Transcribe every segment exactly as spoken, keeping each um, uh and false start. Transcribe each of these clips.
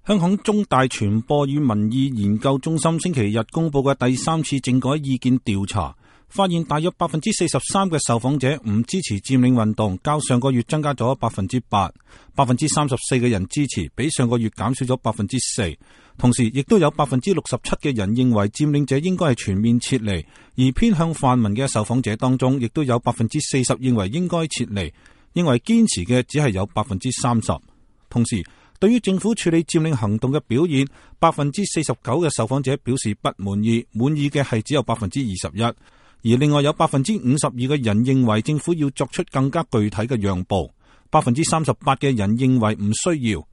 香港中大傳播與民意研究中心星期日公布嘅第三次政改意見調查，發現大約百分之四十三嘅受訪者唔支持佔領運動，較上個月增加咗百分之八，百分之三十四嘅人支持，比上個月減少咗百分之四。同時，亦都有百分之六十七嘅人認為佔領者應該係全面撤離，而偏向泛民嘅受訪者當中，亦都有百分之四十認為應該撤離，認為堅持嘅只係有百分之三十。同時，對於政府處理佔領行動嘅表現，百分之四十九嘅受訪者表示不滿意，滿意嘅係只有百分之二十一，而另外有百分之五十二嘅人認為政府要作出更加具體嘅讓步，百分之三十八嘅人認為唔需要。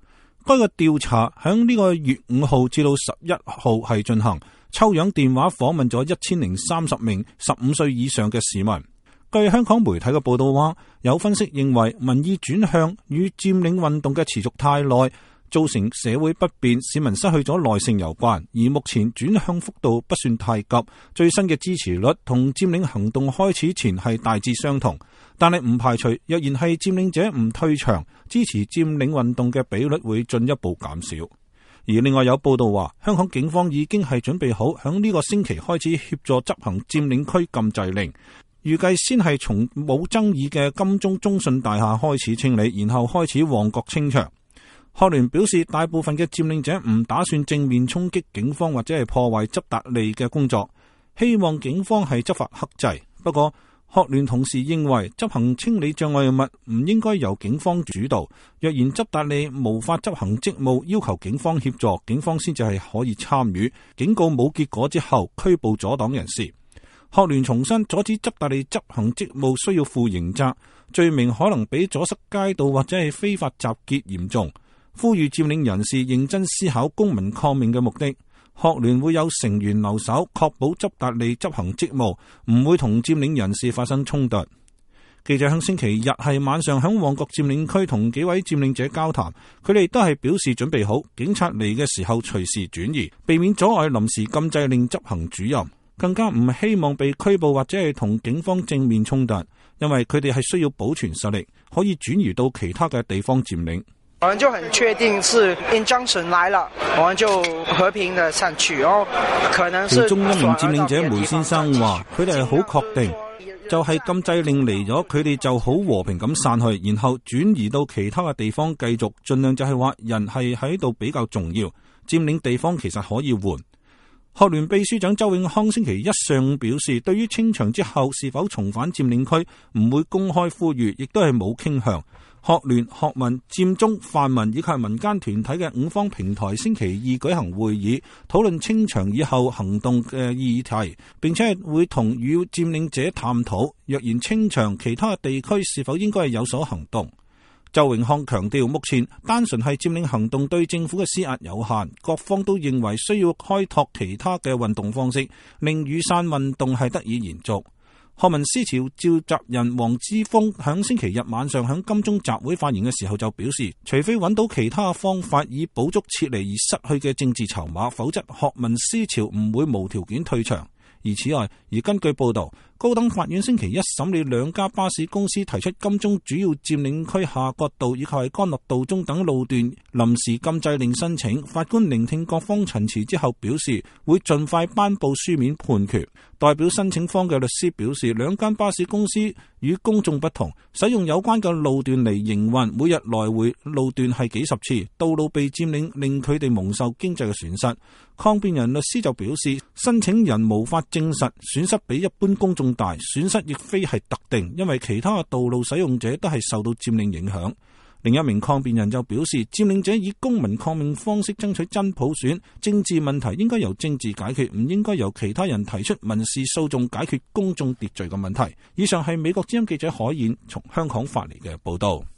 該個調查響呢個月五號至到十一號係進行，抽樣電話訪問咗一千零三十名十五歲以上嘅市民。據香港媒體嘅報道話，有分析認為民意轉向與佔領運動嘅持續太耐，造成社會不便，市民失去咗耐性有關。而目前轉向幅度不算太急，最新嘅支持率同佔領行動開始前係大致相同，但係唔排除若然係佔領者唔退場，支持佔領運動嘅比率會進一步減少。而另外有報道話，香港警方已經係準備好響呢個星期開始協助執行佔領區禁制令。預計先係從冇爭議嘅金鐘中信大廈開始清理，然後開始旺角清場。學聯表示，大部分嘅佔領者唔打算正面衝擊警方或者係破壞執達吏嘅工作，希望警方係執法克制。不過，學聯同時認為執行清理障礙物唔應該由警方主導，若然執達吏無法執行職務，要求警方協助，警方先至係可以參與。警告冇結果之後，拘捕阻擋人士。學聯重申，阻止執達吏執行職務需要負刑責，罪名可能比阻塞街道或者係非法集結嚴重。呼籲佔領人士認真思考公民抗命嘅目的。學聯會有成員留守，確保執達吏執行職務，唔會同佔領人士發生衝突。記者響星期日係晚上響旺角佔領區同幾位佔領者交談，佢哋都係表示準備好，警察嚟嘅時候隨時轉移，避免阻礙臨時禁制令執行主任。更加唔希望被拘捕或者係同警方正面衝突，因為佢哋係需要保存實力，可以轉移到其他嘅地方佔領。我們就很確定是 injunction 來了，我們就和平的散去。哦，可能是。其中一名佔領者梅先生話，佢哋係好確定，就係禁制令嚟咗，佢哋就好和平咁散去，然後轉移到其他嘅地方繼續，盡量就係話人係喺度比較重要，佔領地方其實可以換。學聯秘書長周永康星期一上午表示，對於清場之後是否重返佔領區，唔會公開呼籲，亦都係冇傾向。學聯、學民、佔中、泛民以及民間團體嘅五方平台星期二舉行會議，討論清場以後行動嘅議題，並且係會同與佔領者探討，若然清場，其他地區是否應該係有所行動。周永康強調，目前單純係佔領行動對政府嘅施壓有限，各方都認為需要開拓其他嘅運動方式，令雨傘運動係得以延續。學民思潮召集人黃之鋒響星期日晚上響金鐘集會發言嘅時候就表示，除非揾到其他方法以補足撤離而失去嘅政治籌碼，否則學民思潮唔會無條件退場。而此外，而根據報道，高等法院星期一審理兩家巴士公司提出金鐘主要佔領區夏慤道以及係干諾道中等路段臨時禁制令申請，法官聆聽各方陳詞之後表示，會盡快頒布書面判決。代表申請方嘅律師表示，兩間巴士公司與公眾不同，使用有關嘅路段嚟營運，每日來回路段係幾十次，道路被佔領令佢哋蒙受經濟嘅損失。抗辯人律師就表示，申請人無法證實損失比一般公眾大，損失亦非係特定，因為其他嘅道路使用者都係受到佔領影響。另一名抗辯人就表示，佔領者以公民抗命方式爭取真普選，政治問題應該由政治解決，唔應該由其他人提出民事訴訟解決公眾秩序嘅問題。以上係美國之音記者海燕從香港發嚟嘅報道。